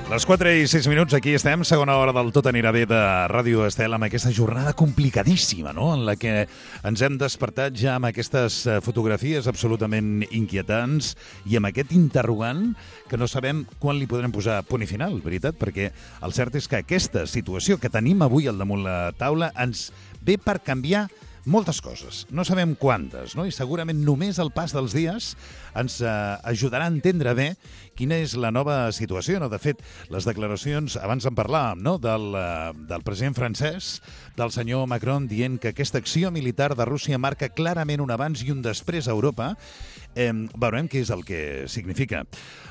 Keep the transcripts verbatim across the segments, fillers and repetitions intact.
Les quatre i sis minuts, aquí estem, segona hora del Tot anirà bé de Ràdio Estel, amb aquesta jornada complicadíssima, no?, en la que ens hem despertat ja amb aquestes fotografies absolutament inquietants i amb aquest interrogant que no sabem quan li podrem posar punt i final, veritat? Perquè el cert és que aquesta situació que tenim avui al damunt la taula ens ve per canviar moltes coses. No sabem quantes, no? I segurament només el pas dels dies ens eh, ajudarà a entendre bé quina és la nova situació, no? De fet, les declaracions, abans en parlàvem, no?, del, eh, del president francès, del senyor Macron, dient que aquesta acció militar de Rússia marca clarament un abans i un després a Europa. Eh, veurem què és el que significa.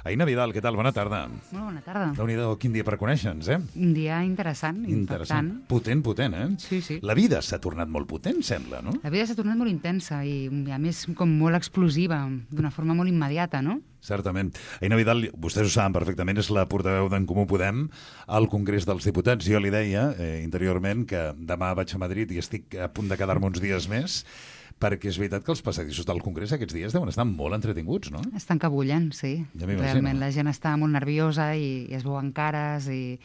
Aina Vidal, què tal? Bona tarda. Molt bona tarda. Déu-n'hi-do, quin dia per conèixer-nos, eh? Un dia interessant, Interessant. impactant. Potent, potent, eh? Sí, sí. La vida s'ha tornat molt potent, sembla, no? La vida s'ha tornat molt intensa i, a més, com molt explosiva, d'una forma molt immediata, no? Certament. Aina Vidal, vostès ho saben perfectament, és la portaveu d'En Comú Podem al Congrés dels Diputats. Jo li deia eh, interiorment que demà vaig a Madrid i estic a punt de quedar-me uns dies més, perquè és veritat que els passadissos del Congrés aquests dies deuen estar molt entretinguts, no? Estan que bullen, sí. Ja m'imagino. Realment la gent està molt nerviosa i, i es veuen cares i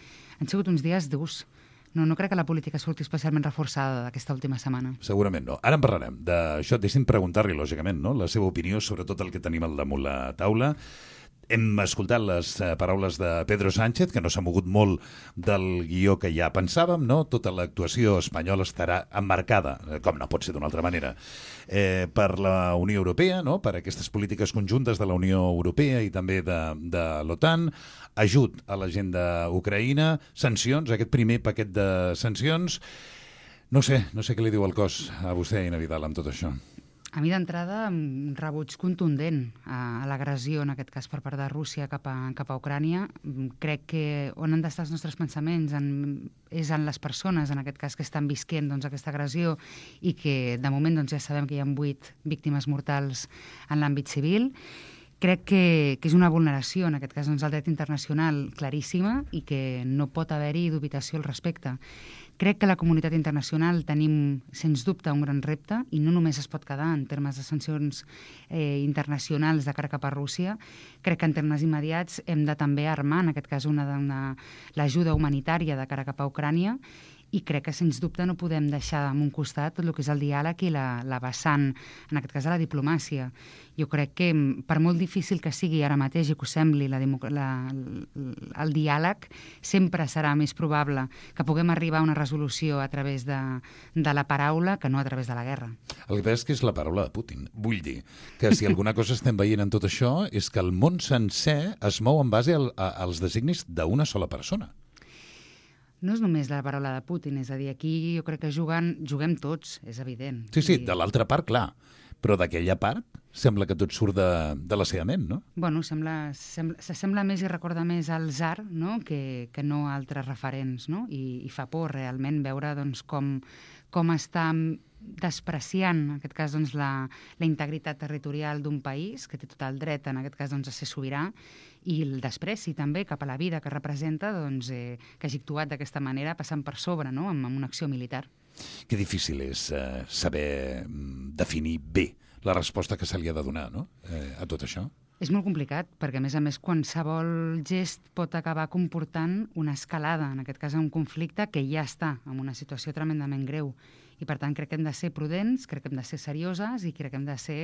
han sigut uns dies durs. No, no crec que la política surti especialment reforçada d'aquesta última setmana. Segurament no. Ara en parlarem d'això. Deixi'm preguntar-li, lògicament, no?, la seva opinió sobre tot el que tenim al damunt la taula. Hem escoltat les eh, paraules de Pedro Sánchez, que no s'ha mogut molt del guió que ja pensàvem, no? Tota l'actuació espanyola estarà emmarcada, com no pot ser d'una altra manera, eh, per la Unió Europea, no?, per aquestes polítiques conjuntes de la Unió Europea i també de, de l'OTAN, ajut a la gent d'Ucraïna, sancions, aquest primer paquet de sancions. No sé, no sé què li diu el cos a vostè, Aina Vidal, amb tot això. A mi d'entrada, un rebuig contundent a, a l'agressió, en aquest cas per part de Rússia cap a, cap a Ucrània. Crec que on han d'estar els nostres pensaments en, és en les persones, en aquest cas, que estan visquent doncs, aquesta agressió i que de moment doncs, ja sabem que hi ha vuit víctimes mortals en l'àmbit civil. Crec que, que és una vulneració, en aquest cas, doncs, al dret internacional claríssima i que no pot haver-hi dubitació al respecte. Crec que la comunitat internacional tenim, sens dubte, un gran repte i no només es pot quedar en termes de sancions eh, internacionals de cara cap a Rússia. Crec que en termes immediats hem de també armar, en aquest cas, una, una, l'ajuda humanitària de cara cap a Ucrània i crec que, sens dubte, no podem deixar en un costat tot el que és el diàleg i la, la vessant, en aquest cas, de la diplomàcia. Jo crec que, per molt difícil que sigui ara mateix i que us sembli la, la, el diàleg, sempre serà més probable que puguem arribar a una resolució a través de, de la paraula que no a través de la guerra. El que passa és que és la paraula de Putin. Vull dir que si alguna cosa estem veient en tot això és que el món sencer es mou en base al, a, als designis d'una sola persona. No és només la paraula de Putin, és a dir, aquí jo crec que juguen, juguem tots, és evident. Sí, sí, I... de l'altra part, clar, però d'aquella part sembla que tot surt de, de la seva ment, no? Bueno, sembla, sembla, s'assembla més i recorda més al tsar, no?, que, que no a altres referents, no? I, i fa por realment veure doncs, com, com està despreciant, en aquest cas, doncs, la, la integritat territorial d'un país, que té tot el dret, en aquest cas, doncs, a ser sobirà, i el despreci també cap a la vida que representa, doncs, eh, que hagi actuat d'aquesta manera, passant per sobre, no?, amb, amb una acció militar. Que difícil és eh, saber definir bé la resposta que se li ha de donar, no?, eh, a tot això. És molt complicat, perquè, a més a més, qualsevol gest pot acabar comportant una escalada, en aquest cas, un conflicte que ja està en una situació tremendament greu. I, per tant, crec que hem de ser prudents, crec que hem de ser serioses i crec que hem de ser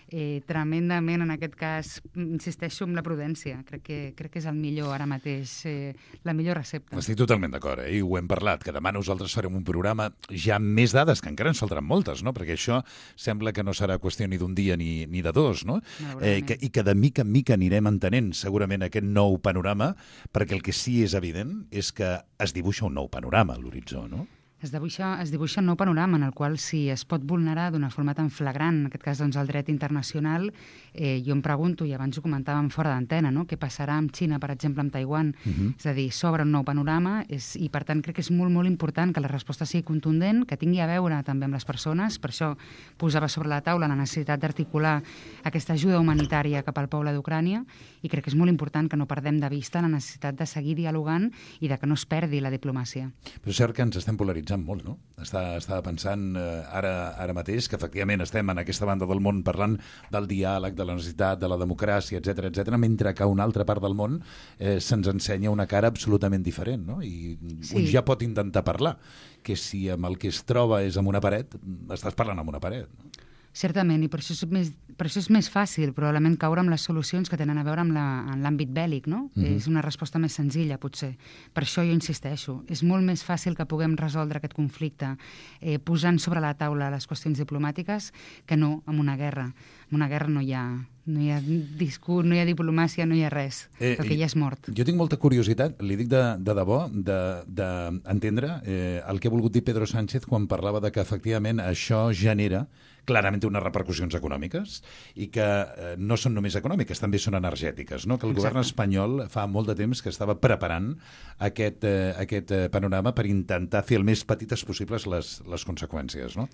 eh, tremendament, en aquest cas, insisteixo en la prudència. Crec que, crec que és el millor ara mateix, eh, la millor recepta. Estic totalment d'acord, eh? I ho hem parlat, que demà nosaltres farem un programa ja amb més dades, que encara ens faltaran moltes, no? Perquè això sembla que no serà qüestió ni d'un dia ni, ni de dos, no? Eh, que, I que de mica en mica anirem entenent segurament aquest nou panorama, perquè el que sí és evident és que es dibuixa un nou panorama a l'horitzó, no? Es dibuixa, es dibuixa un nou panorama en el qual si es pot vulnerar d'una forma tan flagrant, en aquest cas doncs, el dret internacional, eh, jo em pregunto, i abans ho comentàvem fora d'antena, no? Què passarà amb Xina, per exemple, amb Taiwan? Uh-huh. És a dir, s'obre un nou panorama és, i, per tant, crec que és molt, molt important que la resposta sigui contundent, que tingui a veure també amb les persones. Per això posava sobre la taula la necessitat d'articular aquesta ajuda humanitària cap al poble d'Ucrània i crec que és molt important que no perdem de vista la necessitat de seguir dialogant i de que no es perdi la diplomàcia. Però és cert que ens estem polaritzant analitzant molt, no? Estava, estava pensant eh, ara, ara mateix que efectivament estem en aquesta banda del món parlant del diàleg, de la necessitat, de la democràcia, etcètera, etcètera, mentre que a una altra part del món eh, se'ns ensenya una cara absolutament diferent, no? I sí. Un ja pot intentar parlar, que si amb el que es troba és amb una paret, estàs parlant amb una paret, no? Certament, i per això és més, per això és més fàcil probablement caure amb les solucions que tenen a veure amb l'àmbit bèl·lic, no? Mm-hmm. És una resposta més senzilla, potser. Per això jo insisteixo, és molt més fàcil que puguem resoldre aquest conflicte eh, posant sobre la taula les qüestions diplomàtiques que no amb una guerra. En una guerra no hi ha... No hi ha discurs, no hi ha diplomàcia, no hi ha res. Eh, el que ja és mort. Jo tinc molta curiositat, li dic de, de debò, d'entendre de, de eh, el que ha volgut dir Pedro Sánchez quan parlava de que efectivament això genera clarament unes repercussions econòmiques i que eh, no són només econòmiques, també són energètiques, no? Que el Exacte. Govern espanyol fa molt de temps que estava preparant aquest, eh, aquest panorama per intentar fer el més petites possibles les, les conseqüències, no?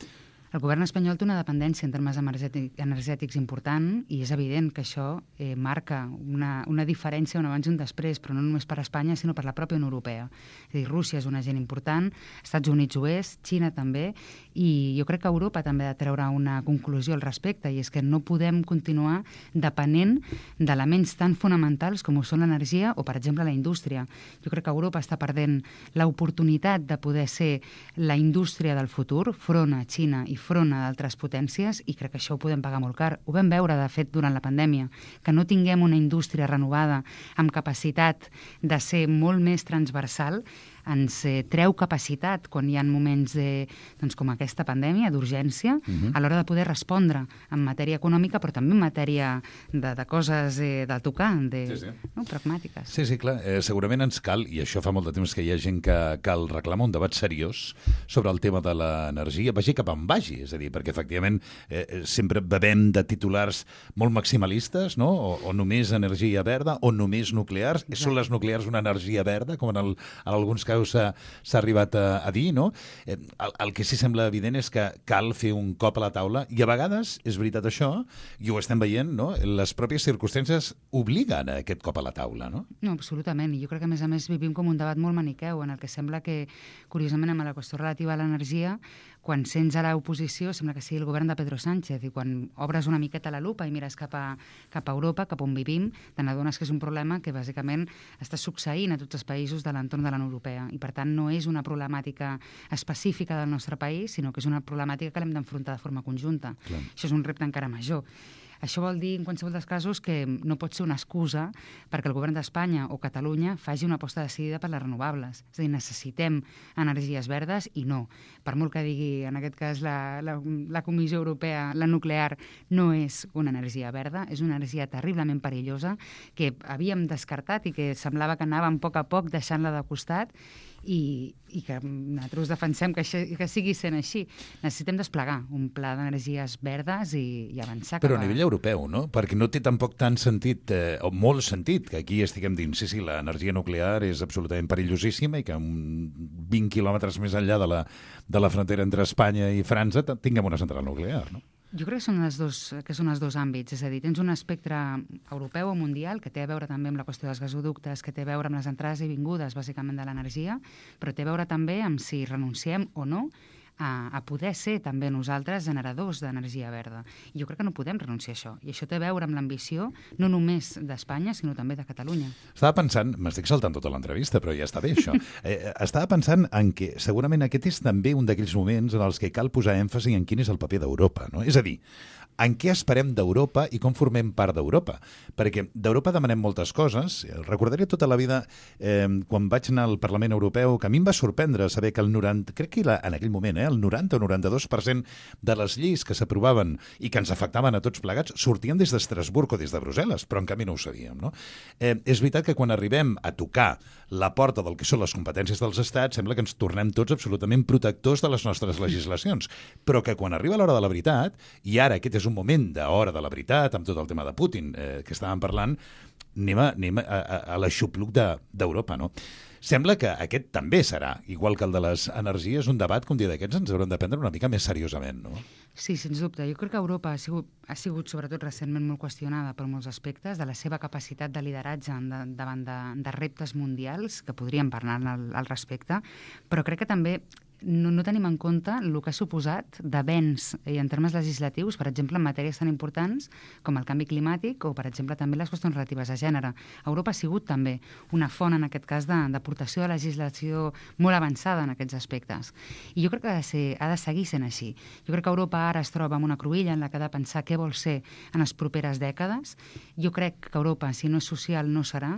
El govern espanyol té una dependència en termes energètic, energètics important i és evident que això eh, marca una, una diferència, un abans i un després, però no només per Espanya, sinó per la pròpia Unió Europea. És a dir, Rússia és un agent important, Estats Units ho és, Xina també, i jo crec que Europa també ha de treure una conclusió al respecte, i és que no podem continuar depenent d'elements tan fonamentals com ho són l'energia o, per exemple, la indústria. Jo crec que Europa està perdent l'oportunitat de poder ser la indústria del futur, front a Xina i front a d'altres potències, i crec que això ho podem pagar molt car. Ho vam veure, de fet, durant la pandèmia, que no tinguem una indústria renovada amb capacitat de ser molt més transversal ens eh, treu capacitat quan hi ha moments de, doncs, com aquesta pandèmia, d'urgència, uh-huh. a l'hora de poder respondre en matèria econòmica, però també en matèria de, de coses eh, de tocar, de, sí, sí. No, pragmàtiques. Sí, sí, clar. Eh, segurament ens cal, i això fa molt de temps que hi ha gent que cal reclamar un debat seriós sobre el tema de l'energia, vagi cap on vagi, és a dir, perquè efectivament eh, sempre bevem de titulars molt maximalistes, no? O, o només energia verda, o només nuclears. Exacte. Són les nuclears una energia verda, com en, el, en alguns casos s'ha arribat a, a dir, no? Eh, el, el que sí sembla evident és que cal fer un cop a la taula, i a vegades, és veritat això, i ho estem veient, no? Les pròpies circumstàncies obliguen a aquest cop a la taula, no? No, absolutament, i jo crec que a més a més vivim com un debat molt maniqueu, en el que sembla que, curiosament, amb la qüestió relativa a l'energia, quan sents a l'oposició sembla que sigui el govern de Pedro Sánchez, i quan obres una miqueta la lupa i mires cap a, cap a Europa, cap on vivim, te n'adones que és un problema que bàsicament està succeint a tots els països de l'entorn de la Unió Europea, i per tant no és una problemàtica específica del nostre país, sinó que és una problemàtica que l'hem d'enfrontar de forma conjunta. Clar. Això és un repte encara major. Això vol dir, en qualsevol dels casos, que no pot ser una excusa perquè el govern d'Espanya o Catalunya faci una aposta decidida per les renovables. És a dir, necessitem energies verdes i no. Per molt que digui, en aquest cas, la, la, la Comissió Europea, la nuclear no és una energia verda, és una energia terriblement perillosa que havíem descartat i que semblava que anàvem a poc a poc deixant-la de costat, i, i que nosaltres defensem que, això, que sigui sent així. Necessitem desplegar un pla d'energies verdes i, i avançar. Però a nivell europeu, no? Perquè no té tampoc tant sentit, eh, o molt sentit, que aquí estiguem dins, sí, sí, l'energia nuclear és absolutament perillosíssima i que vint quilòmetres més enllà de la, de la frontera entre Espanya i França tinguem una central nuclear, no? Jo crec que són, els dos, que són els dos àmbits, és a dir, tens un espectre europeu o mundial que té a veure també amb la qüestió dels gasoductes, que té a veure amb les entrades i vingudes, bàsicament, de l'energia, però té a veure també amb si renunciem o no a, a poder ser també nosaltres generadors d'energia verda. I jo crec que no podem renunciar a això, i això té a veure amb l'ambició no només d'Espanya, sinó també de Catalunya. Estava pensant, m'estic saltant tota l'entrevista, però ja està bé això, eh, estava pensant en que segurament aquest és també un d'aquells moments en els que cal posar èmfasi en quin és el paper d'Europa, no? És a dir, en què esperem d'Europa i com formem part d'Europa. Perquè d'Europa demanem moltes coses. Recordaré tota la vida, eh, quan vaig anar al Parlament Europeu, que a mi em va sorprendre saber que el noranta, crec que era en aquell moment, eh, el noranta o noranta-dos per cent de les lleis que s'aprovaven i que ens afectaven a tots plegats sortien des d'Estrasburg o des de Brussel·les, però en canvi no ho sabíem, no? Eh, és veritat que quan arribem a tocar la porta del que són les competències dels estats, sembla que ens tornem tots absolutament protectors de les nostres legislacions, però que quan arriba l'hora de la veritat, i ara aquest és un moment d'hora de la veritat, amb tot el tema de Putin eh, que estàvem parlant, anem a, anem a, a, a l'aixopluc d'Europa, no? Sembla que aquest també serà, igual que el de les energies, un debat que un dia d'aquests ens haurem de prendre una mica més seriosament, no? Sí, sens dubte. Jo crec que Europa ha sigut, ha sigut sobretot recentment molt qüestionada per molts aspectes de la seva capacitat de lideratge de, davant de, de reptes mundials, que podríem parlar al, al respecte, però crec que també no, no tenim en compte el que ha suposat d'avenç en termes legislatius, per exemple, en matèries tan importants com el canvi climàtic o, per exemple, també les qüestions relatives a gènere. Europa ha sigut també una font, en aquest cas, d'aportació de, de legislació molt avançada en aquests aspectes. I jo crec que ha de, ser, ha de seguir sent així. Jo crec que Europa ara es troba en una cruïlla en la que ha de pensar què vol ser en les properes dècades. Jo crec que Europa, si no és social, no serà.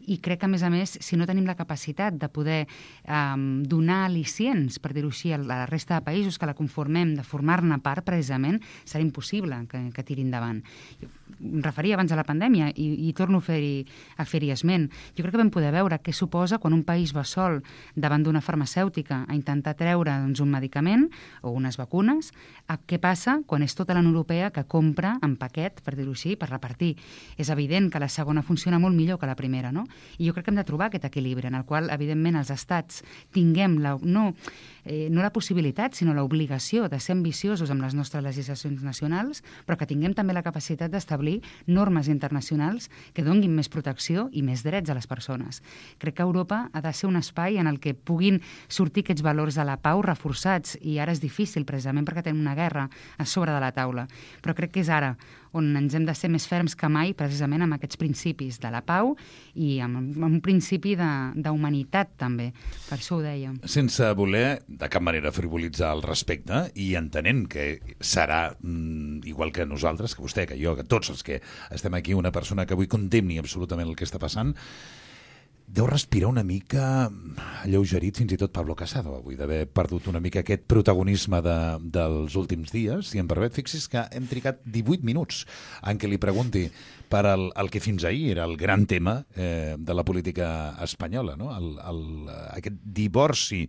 I crec que, a més a més, si no tenim la capacitat de poder eh, donar al·licients, per dir-ho així, a la resta de països que la conformem, de formar-ne part, precisament, serà impossible que, que tiri endavant. Em referia abans a la pandèmia i, i torno a fer-hi a fer-hi esment. Jo crec que vam poder veure què suposa quan un país va sol davant d'una farmacèutica a intentar treure doncs, un medicament o unes vacunes, a què passa quan és tota la Unió Europea que compra en paquet, per dir-ho així, per repartir. És evident que la segona funciona molt millor que la primera, no? I jo crec que hem de trobar aquest equilibri en el qual, evidentment, els estats tinguem la, no, eh, no la possibilitat, sinó l'obligació de ser ambiciosos amb les nostres legislacions nacionals, però que tinguem també la capacitat d'establir normes internacionals que donguin més protecció i més drets a les persones. Crec que Europa ha de ser un espai en el que puguin sortir aquests valors de la pau reforçats, i ara és difícil precisament perquè tenim una guerra a sobre de la taula, però crec que és ara on ens hem de ser més ferms que mai precisament amb aquests principis de la pau i amb, amb un principi d'humanitat també, per això ho dèiem. Sense voler de cap manera frivolitzar al respecte i entenent que serà mm, igual que nosaltres, que vostè, que jo, que tots els que estem aquí, una persona que avui condemni absolutament el que està passant, deu respirar una mica alleugerit fins i tot Pablo Casado avui, d'haver perdut una mica aquest protagonisme de, dels últims dies. Si em permet, fixi's que hem trigat divuit minuts en què li pregunti per el, el que fins ahir era el gran tema eh, de la política espanyola, no? el, el, aquest divorci.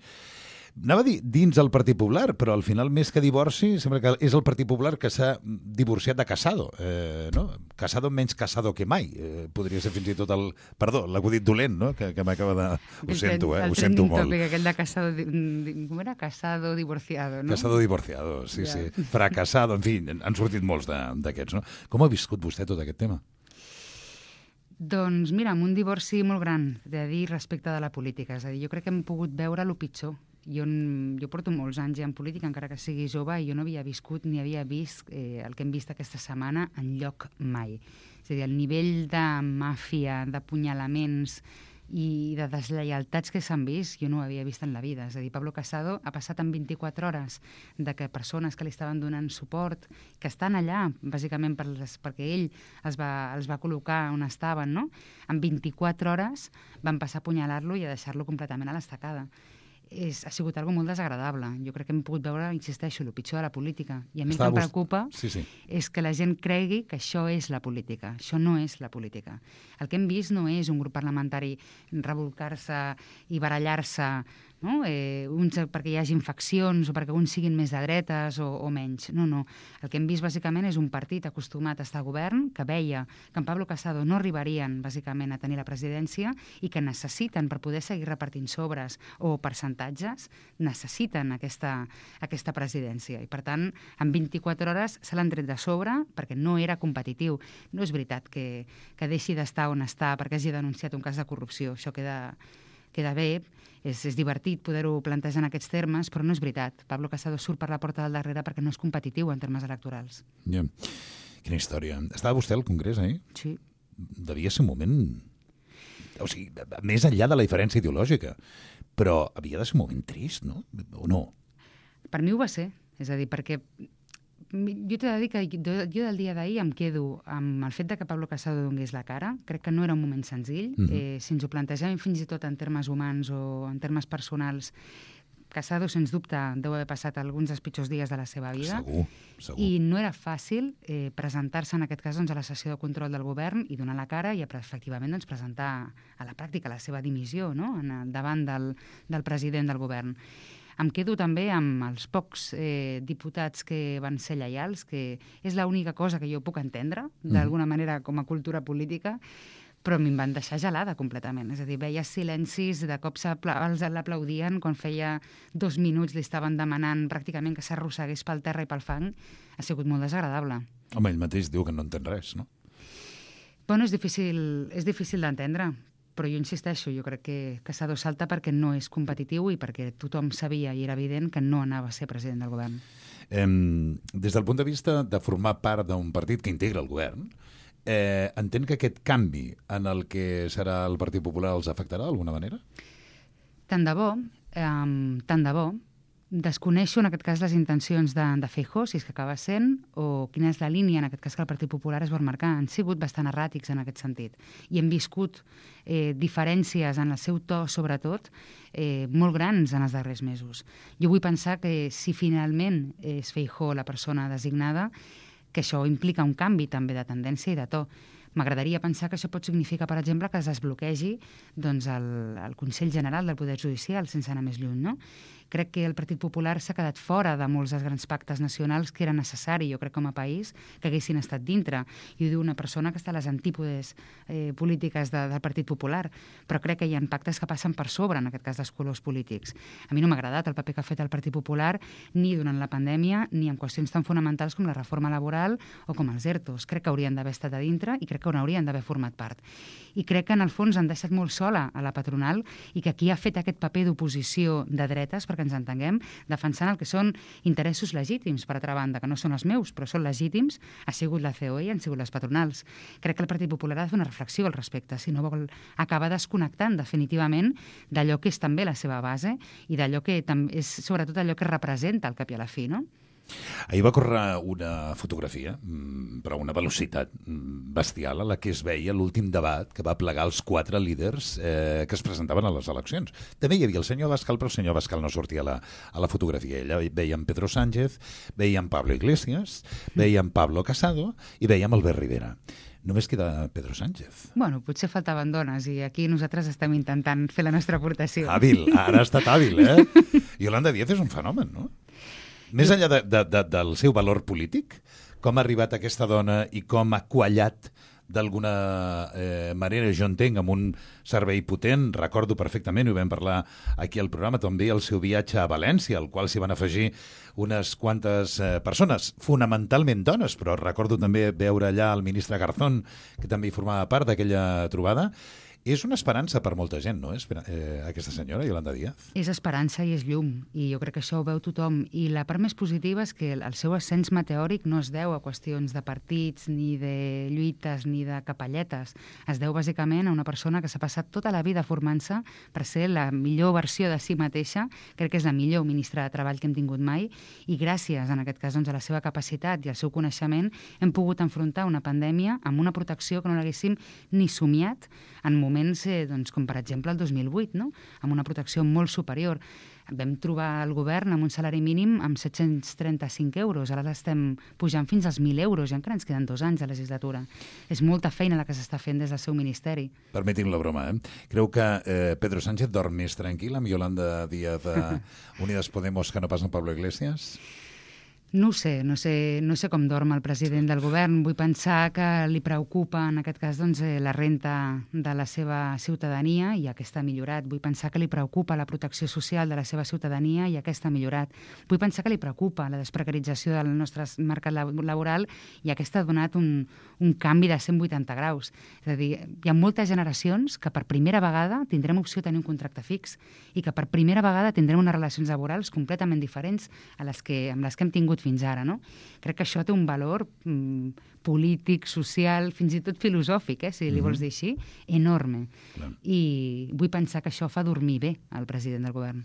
Anava a dir dins el Partit Popular, però al final, més que divorci, sembla que és el Partit Popular que s'ha divorciat de Casado. Eh, no? Casado menys Casado que mai. Eh, podria ser fins i tot el... Perdó, l'acudit dolent, no? que, que m'acaba de... Ho sento, eh? Ho sento molt. El aquell de Casado... Com era? Casado divorciado, no? Casado divorciado, sí, ja. sí. Fracassado, en fi, han sortit molts d'aquests, no? Com ha viscut vostè tot aquest tema? Doncs mira, amb un divorci molt gran, de dir, respecte de la política. És a dir, jo crec que hem pogut veure el pitjor. Jo, jo porto molts anys ja en política, encara que sigui jove, i jo no havia viscut ni havia vist eh, el que hem vist aquesta setmana enlloc mai. És a dir, el nivell de màfia, d'apunyalaments i de deslleialtats que s'han vist, jo no ho havia vist en la vida. És a dir, Pablo Casado ha passat en vint-i-quatre hores de que persones que li estaven donant suport, que estan allà, bàsicament per les, perquè ell els va, els va col·locar on estaven, no? En vint-i-quatre hores van passar a apunyalar-lo i a deixar-lo completament a l'estacada. És, ha sigut algo molt desagradable. Jo crec que hem pogut veure, insisteixo, el pitjor de la política. I a mi el que em preocupa sí, sí. és que la gent cregui que això és la política. Això no és la política. El que hem vist no és un grup parlamentari revolcar-se i barallar-se, no? eh, uns perquè hi hagi infeccions o perquè uns siguin més de dretes o, o menys. No, no. El que hem vist bàsicament és un partit acostumat a estar a govern, que veia que en Pablo Casado no arribarien bàsicament a tenir la presidència i que necessiten, per poder seguir repartint sobres o percentatges, necessiten aquesta, aquesta presidència. I per tant, en vint-i-quatre hores se l'han tret de sobre perquè no era competitiu. No és veritat que, que deixi d'estar on està perquè hagi denunciat un cas de corrupció. Això queda... queda bé, és, és divertit poder-ho plantejar en aquests termes, però no és veritat. Pablo Casado surt per la porta del darrere perquè no és competitiu en termes electorals. Yeah. Quina història. Estava vostè al Congrés, eh? Sí. Devia ser un moment... O sigui, més enllà de la diferència ideològica, però havia de ser un moment trist, no? O no? Per mi ho va ser. És a dir, perquè jo t'he de dir que jo del dia d'ahir em quedo amb el fet de que Pablo Casado donés la cara. Crec que no era un moment senzill. Mm-hmm. eh, si ens ho plantegem fins i tot en termes humans o en termes personals, Casado, sens dubte, deu haver passat alguns dels pitjors dies de la seva vida. Segur, segur. I no era fàcil eh, presentar-se, en aquest cas, doncs, a la sessió de control del govern i donar la cara i, efectivament, doncs, presentar a la pràctica la seva dimissió, no?, en el, davant del, del president del govern. Em quedo també amb els pocs eh, diputats que van ser lleials, que és l'única cosa que jo puc entendre, d'alguna manera, com a cultura política, però a mi em van deixar gelada completament. És a dir, veia silencis, de cop els l'aplaudien, quan feia dos minuts li estaven demanant pràcticament que s'arrossegués pel terra i pel fang. Ha sigut molt desagradable. Home, ell mateix diu que no entén res, no? Bueno, és difícil, és difícil d'entendre, però jo insisteixo, jo crec que Casado salta perquè no és competitiu i perquè tothom sabia i era evident que no anava a ser president del govern. Eh, des del punt de vista de formar part d'un partit que integra el govern, eh, entén que aquest canvi en el que serà el Partit Popular els afectarà d'alguna manera? Tant de bo, eh, tant de bo. Desconeixo, en aquest cas, les intencions de, de Feijóo, si és que acaba sent, o quina és la línia, en aquest cas, que el Partit Popular es vol marcar. Han sigut bastant erràtics en aquest sentit. I hem viscut eh, diferències en el seu to, sobretot, eh, molt grans en els darrers mesos. Jo vull pensar que si finalment és Feijóo la persona designada, que això implica un canvi també de tendència i de to. M'agradaria pensar que això pot significar, per exemple, que es desbloquegi doncs, el, el Consell General del Poder Judicial, sense anar més lluny, no? Crec que el Partit Popular s'ha quedat fora de molts dels grans pactes nacionals que era necessari, jo crec, com a país, que haguessin estat dintre. I ho diu una persona que està a les antípodes eh, polítiques de, del Partit Popular, però crec que hi ha pactes que passen per sobre, en aquest cas, dels colors polítics. A mi no m'ha agradat el paper que ha fet el Partit Popular ni durant la pandèmia ni en qüestions tan fonamentals com la reforma laboral o com els ERTOs. Crec que haurien d'haver estat a dintre i crec que n'haurien d'haver format part. I crec que, en el fons, han deixat molt sola a la patronal i que qui ha fet aquest paper d'oposició de dretes, perquè ens entenguem, defensant el que són interessos legítims, per altra banda, que no són els meus, però són legítims, ha sigut la C O E i han sigut les patronals. Crec que el Partit Popular ha de fer una reflexió al respecte, si no vol acabar desconnectant definitivament d'allò que és també la seva base i d'allò que és sobretot allò que representa al cap i a la fi, no? Ahir va córrer una fotografia, però a una velocitat bestial, a la que es veia l'últim debat que va plegar els quatre líders eh, que es presentaven a les eleccions. També hi havia el senyor Abascal, però el senyor Abascal no sortia a la, a la fotografia. Allà veiem Pedro Sánchez, veiem Pablo Iglesias, veiem Pablo Casado i veiem Albert Rivera. Només queda Pedro Sánchez. Bueno, potser faltaven dones i aquí nosaltres estem intentant fer la nostra aportació. Hàbil, ara ha estat hàbil, eh? Yolanda Díaz és un fenomen, no? Més enllà de, de, de, del seu valor polític, com ha arribat aquesta dona i com ha quallat d'alguna eh, manera, jo entenc, amb un servei potent. Recordo perfectament, ho vam parlar aquí al programa, també el seu viatge a València, al qual s'hi van afegir unes quantes eh, persones, fonamentalment dones, però recordo també veure allà el ministre Garzón, que també hi formava part d'aquella trobada. És una esperança per molta gent, no? Eh, aquesta senyora, Yolanda Díaz. És esperança i és llum, i jo crec que això ho veu tothom. I la part més positiva és que el seu ascens meteòric no es deu a qüestions de partits, ni de lluites, ni de capelletes. Es deu bàsicament a una persona que s'ha passat tota la vida formant-se per ser la millor versió de si mateixa. Crec que és la millor ministra de Treball que hem tingut mai, i gràcies, en aquest cas, doncs, a la seva capacitat i al seu coneixement, hem pogut enfrontar una pandèmia amb una protecció que no l'haguéssim ni somiat en moments eh, doncs, com per exemple el dos mil vuit, no? Amb una protecció molt superior. Vam trobar el govern amb un salari mínim amb set-cents trenta-cinc euros, ara l'estem pujant fins als mil euros i encara ens queden dos anys de legislatura. És molta feina la que s'està fent des del seu ministeri. Permetin la broma, eh? Creu que eh, Pedro Sánchez dorm més tranquil amb Yolanda Díaz de Unidas Podemos que no pas amb Pablo Iglesias? No ho sé, no sé, no sé com dorm el president del govern. Vull pensar que li preocupa, en aquest cas, doncs, eh, la renta de la seva ciutadania i aquesta ha millorat. Vull pensar que li preocupa la protecció social de la seva ciutadania i aquesta ha millorat. Vull pensar que li preocupa la desprecarització del nostre mercat laboral i aquesta ha donat un, un canvi de cent vuitanta graus. És a dir, hi ha moltes generacions que per primera vegada tindrem opció de tenir un contracte fix i que per primera vegada tindrem unes relacions laborals completament diferents a les que, amb les que hem tingut fins ara, no? Crec que això té un valor mm, polític, social, fins i tot filosòfic, eh, si li vols dir així, enorme. Clar. I vull pensar que això fa dormir bé al president del govern.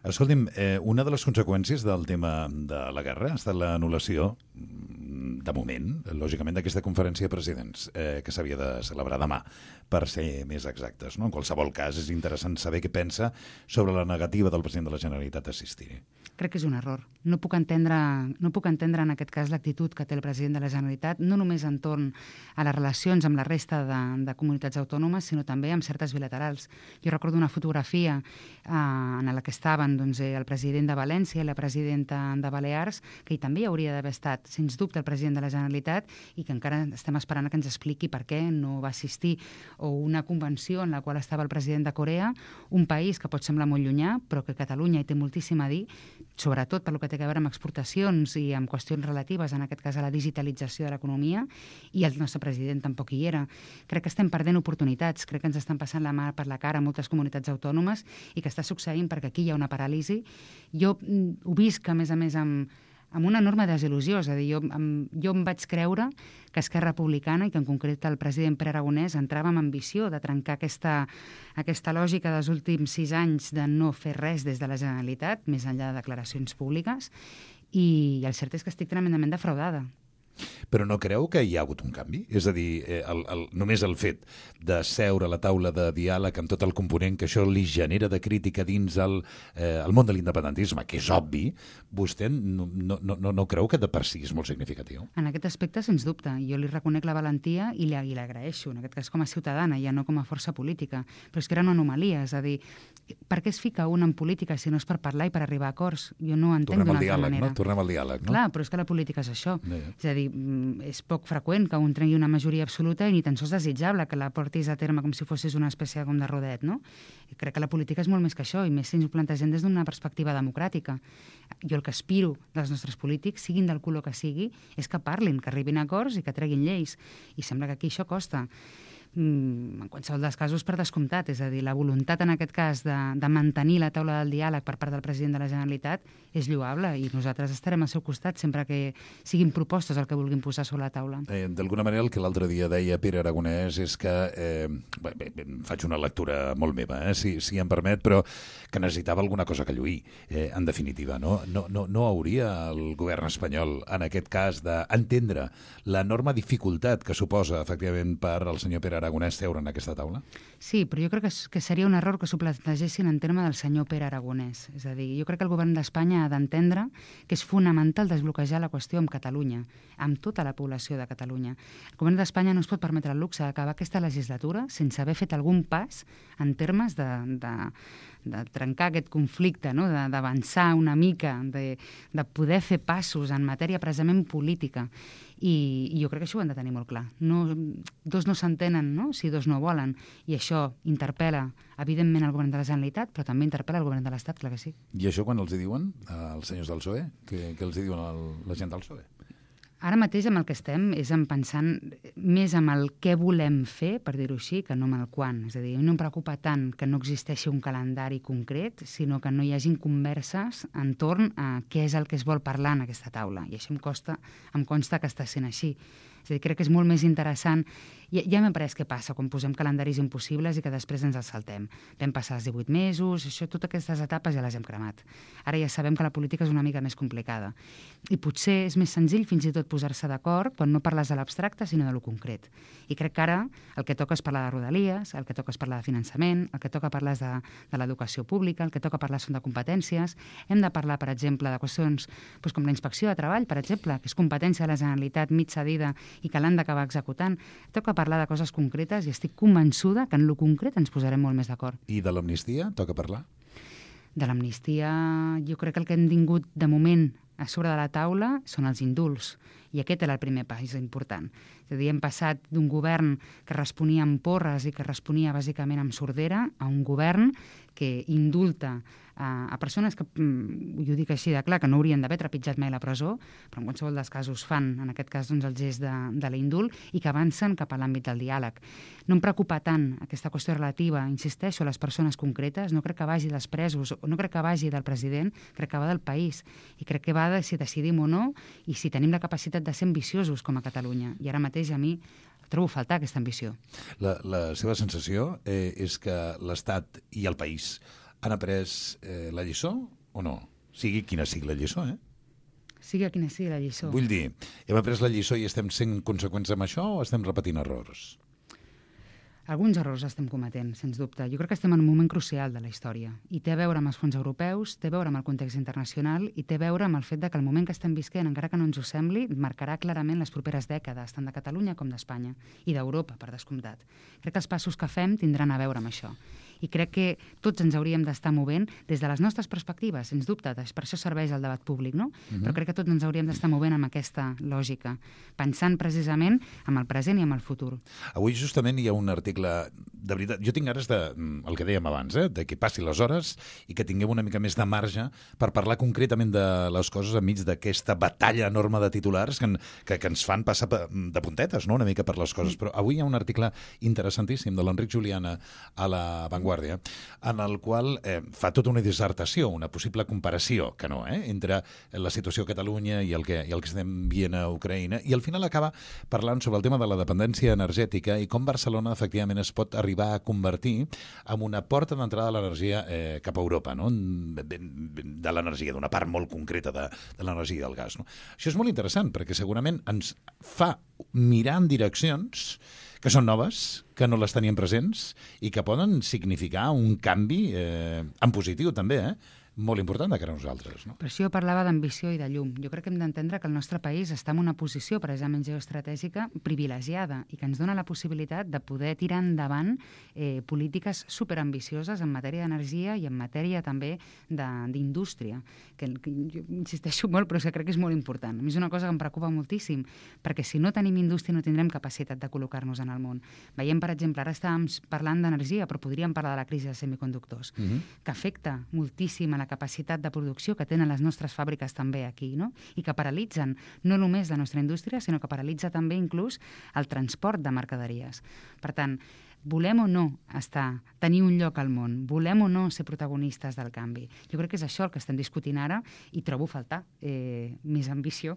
Escolti'm, eh, una de les conseqüències del tema de la guerra ha estat l'anul·lació, de moment, lògicament, d'aquesta conferència de presidents eh, que s'havia de celebrar demà, per ser més exactes, no? En qualsevol cas, és interessant saber què pensa sobre la negativa del president de la Generalitat d'assistir-hi. Crec que és un error. No puc entendre, no puc entendre en aquest cas l'actitud que té el president de la Generalitat, no només entorn a les relacions amb la resta de, de comunitats autònomes, sinó també amb certes bilaterals. Jo recordo una fotografia eh, en la que estaven doncs, el president de València i la presidenta de Balears, que hi també hauria d'haver estat, sens dubte, el president de la Generalitat i que encara estem esperant que ens expliqui per què no va assistir, o una convenció en la qual estava el president de Corea, un país que pot semblar molt llunyà, però que Catalunya hi té moltíssim a dir, sobretot per lo que té a veure amb exportacions i amb qüestions relatives, en aquest cas a la digitalització de l'economia, i el nostre president tampoc hi era. Crec que estem perdent oportunitats, crec que ens estan passant la mà per la cara a moltes comunitats autònomes i que està succeint perquè aquí hi ha una paràlisi. Jo mm, ho visc, a més a més, amb, amb una enorme desil·lusió. És a dir, jo, amb, jo em vaig creure que Esquerra Republicana, i que en concret el president Pere Aragonès, entrava amb ambició de trencar aquesta, aquesta lògica dels últims sis anys de no fer res des de la Generalitat, més enllà de declaracions públiques, i el cert és que estic tremendament defraudada. Però no creu que hi ha hagut un canvi? És a dir, eh, el, el, només el fet de seure a la taula de diàleg amb tot el component que això li genera de crítica dins el, eh, el món de l'independentisme, que és obvi, vostè no, no, no, no creu que de per si és molt significatiu? En aquest aspecte, sens dubte. Jo li reconec la valentia i l'agraeixo, en aquest cas com a ciutadana, ja no com a força política. Però és que era una anomalia, és a dir, per què es fica un en política si no és per parlar i per arribar a acords? Jo no ho entenc d'una altra diàleg, manera. No? Tornem al diàleg, no? Clar, però és que la política és això. Yeah. És a dir, és poc freqüent que un trengui una majoria absoluta i ni tan sols desitjable que la portis a terme com si fossis una espècie com de rodet, no? I crec que la política és molt més que això, i més si ens ho plantegem des d'una perspectiva democràtica. Jo el que aspiro dels nostres polítics, siguin del color que sigui, és que parlin, que arribin a acords i que treguin lleis. I sembla que aquí això costa. En qualsevol dels casos, per descomptat, és a dir, la voluntat en aquest cas de, de mantenir la taula del diàleg per part del president de la Generalitat és lloable i nosaltres estarem al seu costat sempre que siguin propostes el que vulguin posar sobre la taula. Eh, D'alguna manera, el que l'altre dia deia Pere Aragonès és que, eh, bé, bé, bé, faig una lectura molt meva, eh, si, si em permet, però que necessitava alguna cosa que lluir, eh, en definitiva. No, no, no, no hauria el govern espanyol, en aquest cas, d'entendre l'enorme dificultat que suposa, efectivament, per al senyor Pere Aragonès seure en aquesta taula? Sí, però jo crec que, que seria un error que s'ho plantegessin en terme del senyor Pere Aragonès. És a dir, jo crec que el govern d'Espanya ha d'entendre que és fonamental desbloquejar la qüestió amb Catalunya, amb tota la població de Catalunya. El govern d'Espanya no es pot permetre el luxe d'acabar aquesta legislatura sense haver fet algun pas en termes de, de, de trencar aquest conflicte, no? D'avançar una mica, de, de poder fer passos en matèria precisament política. I, i jo crec que això ho han de tenir molt clar. No, dos no s'entenen, no?, si dos no volen. I això interpel·la, evidentment, el govern de la Generalitat, però també interpel·la el govern de l'Estat, clar que sí. I això quan els hi diuen, els senyors del P S O E? Què, què els hi diuen el, la gent del P S O E? Ara mateix amb el que estem és en pensant més amb el què volem fer, per dir-ho així, que no amb el quan. És a dir, no em preocupa tant que no existeixi un calendari concret, sinó que no hi hagin converses entorn a què és el que es vol parlar en aquesta taula. I això em, costa, em consta que està sent així. És a dir, crec que és molt més interessant. Ja, ja m'he après què passa quan posem calendaris impossibles i que després ens els saltem. Vam passar els divuit mesos, això, totes aquestes etapes ja les hem cremat. Ara ja sabem que la política és una mica més complicada. I potser és més senzill fins i tot posar-se d'acord quan no parles de l'abstracte, sinó de lo concret. I crec que ara el que toca és parlar de rodalies, el que toca és parlar de finançament, el que toca parlar és de, de l'educació pública, el que toca parlar són de competències. Hem de parlar, per exemple, de qüestions doncs, com la inspecció de treball, per exemple, que és competència de la Generalitat mig cedida i que l'han d'acabar executant. Toca parlar de coses concretes i estic convençuda que en lo concret ens posarem molt més d'acord. I de l'amnistia toca parlar? De l'amnistia jo crec que el que hem tingut de moment a sobre de la taula són els indults. I aquest era el primer pas important. És a dir, hem passat d'un govern que responia amb porres i que responia bàsicament amb sordera a un govern que indulta a, a persones que, jo ho dic així de clar, que no haurien d'haver trepitjat mai la presó, però en qualsevol dels casos fan, en aquest cas, doncs, el gest de, de l'indult i que avancen cap a l'àmbit del diàleg. No em preocupa tant aquesta qüestió relativa, insisteixo, a les persones concretes, no crec que vagi dels presos, no crec que vagi del president, crec que va del país, i crec que va de si decidim o no i si tenim la capacitat de ser ambiciosos com a Catalunya. I ara mateix a mi trobo a faltar aquesta ambició. La, la seva sensació eh, és que l'Estat i el país han après eh, la lliçó o no? Sigui quina sigui la lliçó, eh? Sigui quina sigui la lliçó. Vull dir, hem après la lliçó i estem sent conseqüents amb això o estem repetint errors? Alguns errors estem cometent, sens dubte. Jo crec que estem en un moment crucial de la història. I té a veure amb els fons europeus, té a veure amb el context internacional i té a veure amb el fet de que el moment que estem visquent, encara que no ens ho sembli, marcarà clarament les properes dècades, tant de Catalunya com d'Espanya, i d'Europa, per descomptat. Crec que els passos que fem tindran a veure amb això. I crec que tots ens hauríem d'estar movent des de les nostres perspectives, sens dubte, per això serveix el debat públic, no? Uh-huh. Però crec que tots ens hauríem d'estar movent amb aquesta lògica, pensant precisament amb el present i amb el futur. Avui justament hi ha un article, de veritat, jo tinc ganes de, el que dèiem abans, eh, de que passi les hores i que tinguem una mica més de marge per parlar concretament de les coses enmig d'aquesta batalla enorme de titulars que, que, que ens fan passar de puntetes, no?, una mica per les coses. Però avui hi ha un article interessantíssim de l'Enric Juliana a La Vanguardia, en el qual eh, fa tota una dissertació, una possible comparació, que no, eh, entre la situació a Catalunya i el, que, i el que estem veient a Ucraïna, i al final acaba parlant sobre el tema de la dependència energètica i com Barcelona efectivament es pot arribar a convertir en una porta d'entrada de l'energia eh, cap a Europa, no?, de l'energia, d'una part molt concreta de, de l'energia i del gas, no? Això és molt interessant perquè segurament ens fa mirar en direccions que són noves, que no les teníem presents i que poden significar un canvi eh, en positiu també, eh? Molt important de cara a nosaltres, no? Per això jo parlava d'ambició i de llum. Jo crec que hem d'entendre que el nostre país està en una posició precisament geoestratègica privilegiada i que ens dona la possibilitat de poder tirar endavant eh, polítiques superambicioses en matèria d'energia i en matèria també d'indústria, que, que jo insisteixo molt, però és que crec que és molt important. A mi és una cosa que em preocupa moltíssim, perquè si no tenim indústria no tindrem capacitat de col·locar-nos en el món. Veiem, per exemple, ara estàvem parlant d'energia, però podríem parlar de la crisi dels semiconductors, uh-huh. que afecta moltíssim a la capacitat de producció que tenen les nostres fàbriques també aquí, no? I que paralitzen no només la nostra indústria, sinó que paralitza també inclús el transport de mercaderies. Per tant, volem o no estar, tenir un lloc al món, volem o no ser protagonistes del canvi. Jo crec que és això el que estem discutint ara i trobo faltar eh, més ambició.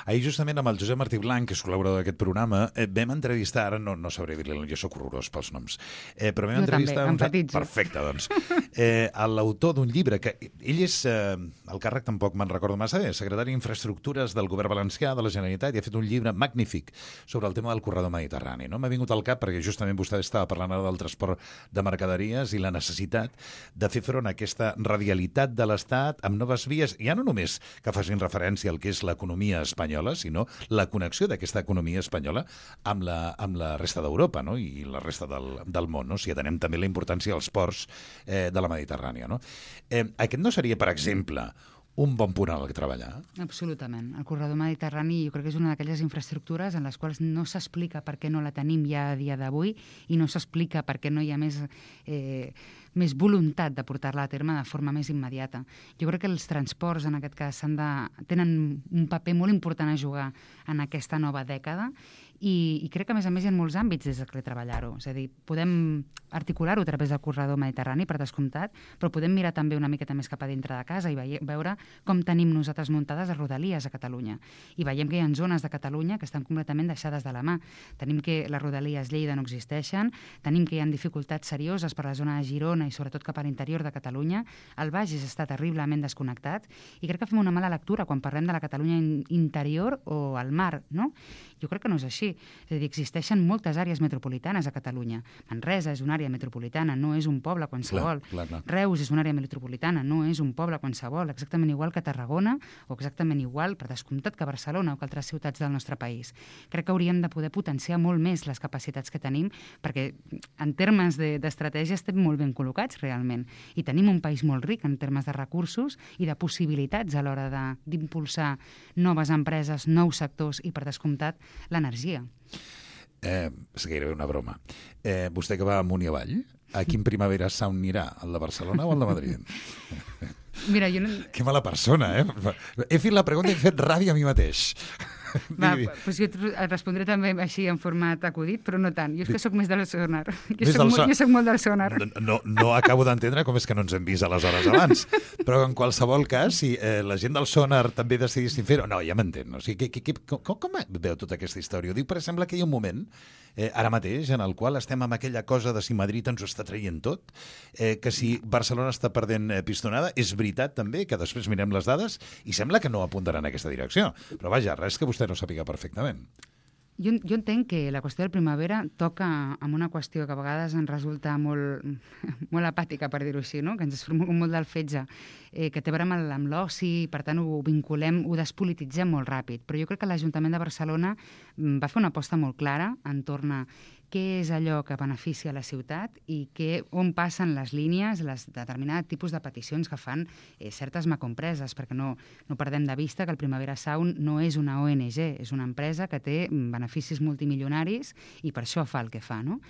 Ahir justament amb el Josep Martí Blanc, que és col·laborador d'aquest programa, eh, vam entrevistar, ara no, no sabré dir-li, jo soc horrorós pels noms, eh, però vam jo entrevistar... també, empatitzo. Perfecte, doncs. Eh, l'autor d'un llibre, que ell és, eh, el càrrec tampoc me'n recordo massa bé, secretari d'Infraestructures del Govern Valencià de la Generalitat, i ha fet un llibre magnífic sobre el tema del corredor mediterrani, no? M'ha vingut al cap perquè justament vostè estava parlant ara del transport de mercaderies i la necessitat de fer front a aquesta radialitat de l'Estat amb noves vies, ja no només que facin referència al que és l'economia espanyola, sinó la connexió d'aquesta economia espanyola amb la, amb la resta d'Europa, no?, i la resta del, del món, no?, si atenem també la importància dels ports eh, de la Mediterrània, no? Eh, aquest no seria, per exemple, un bon punt al que treballar? Absolutament. El corredor mediterrani jo crec que és una d'aquelles infraestructures en les quals no s'explica per què no la tenim ja a dia d'avui i no s'explica per què no hi ha més, eh, més voluntat de portar-la a terme de forma més immediata. Jo crec que els transports, en aquest cas, han de, tenen un paper molt important a jugar en aquesta nova dècada i, i crec que, a més a més, hi ha molts àmbits des que treballar-ho. És a dir, podem articular-ho a través del corredor mediterrani, per descomptat, però podem mirar també una miqueta més cap a dintre de casa i veure com tenim nosaltres muntades les rodalies a Catalunya. I veiem que hi ha zones de Catalunya que estan completament deixades de la mà. Tenim que les rodalies Lleida no existeixen, tenim que hi ha dificultats serioses per la zona de Girona i sobretot cap a l'interior de Catalunya. El Bages està terriblement desconnectat i crec que fem una mala lectura quan parlem de la Catalunya interior o al mar, no? Jo crec que no és així. És a dir, existeixen moltes àrees metropolitanes a Catalunya. Manresa és una àrea metropolitana, no és un poble qualsevol. Clar, clar, clar. Reus és una àrea metropolitana, no és un poble qualsevol, exactament igual que Tarragona o exactament igual, per descomptat, que Barcelona o que altres ciutats del nostre país. Crec que hauríem de poder potenciar molt més les capacitats que tenim perquè en termes d'estratègia estem molt ben col·locats realment i tenim un país molt ric en termes de recursos i de possibilitats a l'hora d'impulsar noves empreses, nous sectors i, per descomptat, l'energia. Eh, és gairebé una broma. Eh, vostè que va amunt i avall, a quin Primavera Sound anirà? El de Barcelona o el de Madrid? Mira, jo no... Que mala persona, eh? He fet la pregunta i he fet ràdio a mi mateix. Va, doncs jo et respondré també així en format acudit, però no tant. Jo és que sóc més del sonar. Jo soc, molt, jo soc molt del sonar. No, no acabo d'entendre com és que no ens hem vist a les hores abans. Però en qualsevol cas, si eh, la gent del sonar també decidissin fer-ho... No, ja m'entén. O sigui, que, que, com, com veu tota aquesta història? Ho dic, per exemple, que hi ha un moment, eh, ara mateix, en el qual estem amb aquella cosa de si Madrid ens ho està traient tot, eh, que si Barcelona està perdent eh, pistonada, és veritat també que després mirem les dades i sembla que no apuntaran en aquesta direcció. Però vaja, res que vostè no sàpiga perfectament. Jo, jo entenc que la qüestió del Primavera toca amb una qüestió que a vegades ens resulta molt, molt apàtica, per dir-ho així, no? Que ens surt molt del fetge, eh, que té a veure amb, amb l'oci, per tant ho vinculem, ho despolititzem molt ràpid. Però jo crec que l'Ajuntament de Barcelona va fer una aposta molt clara entorn a què és allò que beneficia la ciutat i que, on passen les línies, les determinats tipus de peticions que fan eh, certes macroempreses, perquè no, no perdem de vista que el Primavera Sound no és una O N G, és una empresa que té beneficis multimilionaris i per això fa el que fa, no?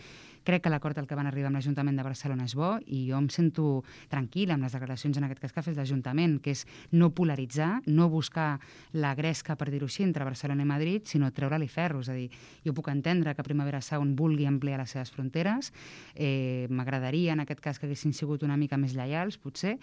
Crec que l'acord al que van arribar amb l'Ajuntament de Barcelona és bo i jo em sento tranquil·la amb les declaracions en aquest cas que ha fet l'Ajuntament, que és no polaritzar, no buscar la gresca, per dir-ho així, entre Barcelona i Madrid, sinó treure-li ferro. És a dir, jo puc entendre que Primavera Sound vulgui ampliar les seves fronteres, eh, m'agradaria en aquest cas que haguessin sigut una mica més lleials, potser,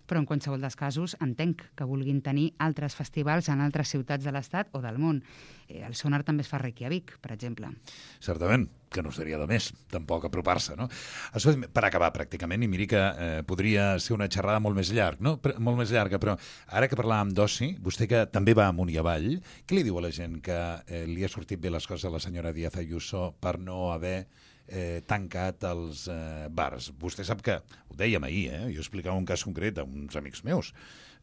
però en qualsevol dels casos entenc que vulguin tenir altres festivals en altres ciutats de l'Estat o del món. Eh, el Sonar també es fa a Reykjavik, per exemple. Certament, que no seria de més, tampoc apropar-se, no? Això, per acabar, pràcticament, i miri que eh, podria ser una xerrada molt més llarg, no? Però, molt més llarga, però ara que parlàvem d'oci, vostè que també va amunt i avall, què li diu a la gent que eh, li ha sortit bé les coses a la senyora Díaz Ayuso per no haver eh, tancat els eh, bars? Vostè sap que, ho dèiem ahir, eh? Jo explicava un cas concret a uns amics meus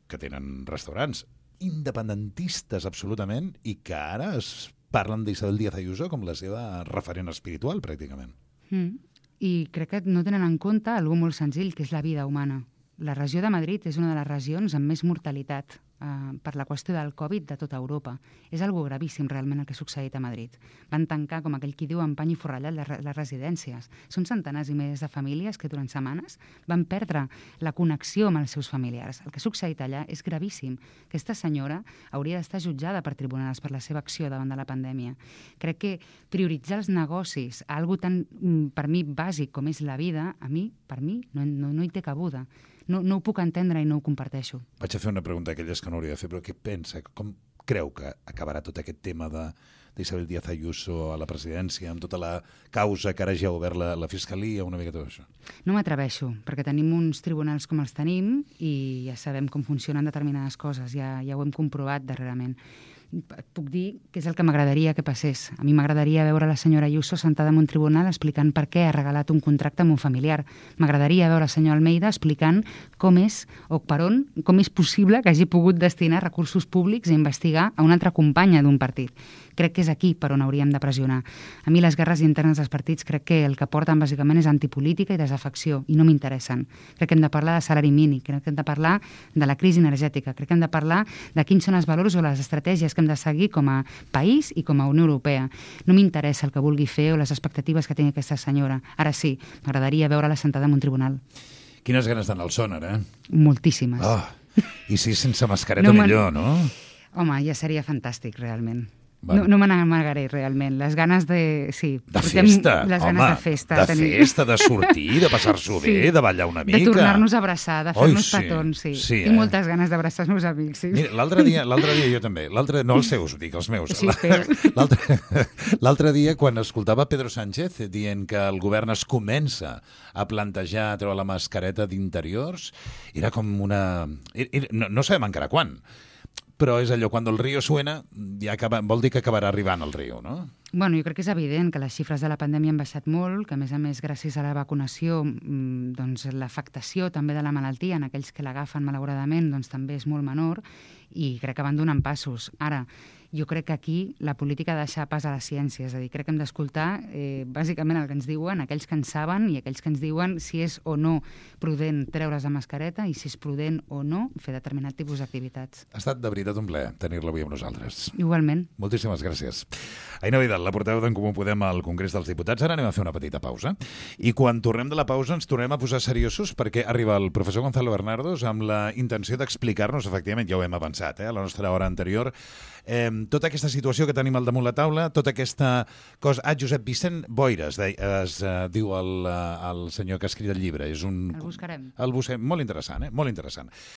que tenen restaurants independentistes absolutament i que ara es parlen d'Isabel Díaz Ayuso com la seva referent espiritual, pràcticament. Mm. I crec que no tenen en compte algú molt senzill, que és la vida humana. La regió de Madrid és una de les regions amb més mortalitat eh, per la qüestió del Covid de tota Europa. És algo gravíssim realment el que ha succeït a Madrid. Van tancar, com aquell qui diu, amb pany i forrellat les, les residències. Són centenars i milers de famílies que durant setmanes van perdre la connexió amb els seus familiars. El que ha succeït allà és gravíssim. Aquesta senyora hauria d'estar jutjada per tribunals per la seva acció davant de la pandèmia. Crec que prioritzar els negocis a algo tan, per mi, bàsic com és la vida, a mi, per mi, no, no, no hi té cabuda. No, no ho puc entendre i no ho comparteixo. Vaig a fer una pregunta aquelles que no hauria de fer, però què pensa? Com creu que acabarà tot aquest tema de d'Isabel Díaz Ayuso a la presidència, amb tota la causa que ara ja ha obert la, la Fiscalia, una mica tot això? No m'atreveixo, perquè tenim uns tribunals com els tenim i ja sabem com funcionen determinades coses, ja, ja ho hem comprovat darrerament. Puc dir que és el que m'agradaria que passés. A mi m'agradaria veure la senyora Ayuso sentada en un tribunal explicant per què ha regalat un contracte amb un familiar. M'agradaria veure el senyor Almeida explicant com és o per on, com és possible que hagi pogut destinar recursos públics a investigar a una altra companya d'un partit. Crec que és aquí per on hauríem de pressionar. A mi les guerres internes dels partits crec que el que porten bàsicament és antipolítica i desafecció, i no m'interessen. Crec que hem de parlar de salari mínim, crec que hem de parlar de la crisi energètica, crec que hem de parlar de quins són els valors o les estratègies que hem de seguir com a país i com a Unió Europea. No m'interessa el que vulgui fer o les expectatives que tingui aquesta senyora. Ara sí, m'agradaria veure-la sentada en un tribunal. Quines ganes d'anar al Sonar, eh? Moltíssimes. Oh, i si sense mascareta no millor, no? Home, ja seria fantàstic, realment. Bueno. No, no me n'amagaré, realment. Les ganes de... Sí, de festa, les home, ganes de festa. De tenim... festa, de sortir, de passar-s'ho sí, bé, de ballar una mica. De tornar-nos a abraçar, de fer-nos sí, petons, sí. sí Tinc eh? moltes ganes d'abraçar els meus amics, sí. Mira, l'altre dia, l'altre dia jo també, l'altre no els seus, dic, els meus. Sí, l'altre dia, quan escoltava Pedro Sánchez dient que el govern es comença a plantejar treure la mascareta d'interiors, era com una... No, no sabem encara quan, però és allò, quan el río suena, ja acaba, vol dir que acabarà arribant el riu, no? Bueno, jo crec que és evident que les xifres de la pandèmia han baixat molt, que a més a més, gràcies a la vacunació, doncs l'afectació també de la malaltia en aquells que l'agafen malauradament doncs també és molt menor i crec que van donant passos. Ara, jo crec que aquí la política ha de deixar pas a la ciència, és a dir, crec que hem d'escoltar eh, bàsicament el que ens diuen, aquells que en saben i aquells que ens diuen si és o no prudent treure's la mascareta i si és prudent o no fer determinat tipus d'activitats. Ha estat de veritat un plaer tenir-la avui amb nosaltres. Igualment. Moltíssimes gràcies. Aina Vidal, la portaveu d'en Comú Podem al Congrés dels Diputats. Ara anem a fer una petita pausa. I quan tornem de la pausa ens tornem a posar seriosos perquè arriba el professor Gonzalo Bernardos amb la intenció d'explicar-nos, efectivament, ja ho hem avançat, eh, a la nostra hora anterior, eh, tota aquesta situació que tenim al damunt la taula, tota aquesta cosa... Ah, Josep Vicent Boires, de, es uh, diu el, uh, el senyor que ha escrit el llibre. És un... El buscarem. El buscarem. Molt interessant, eh? Molt interessant.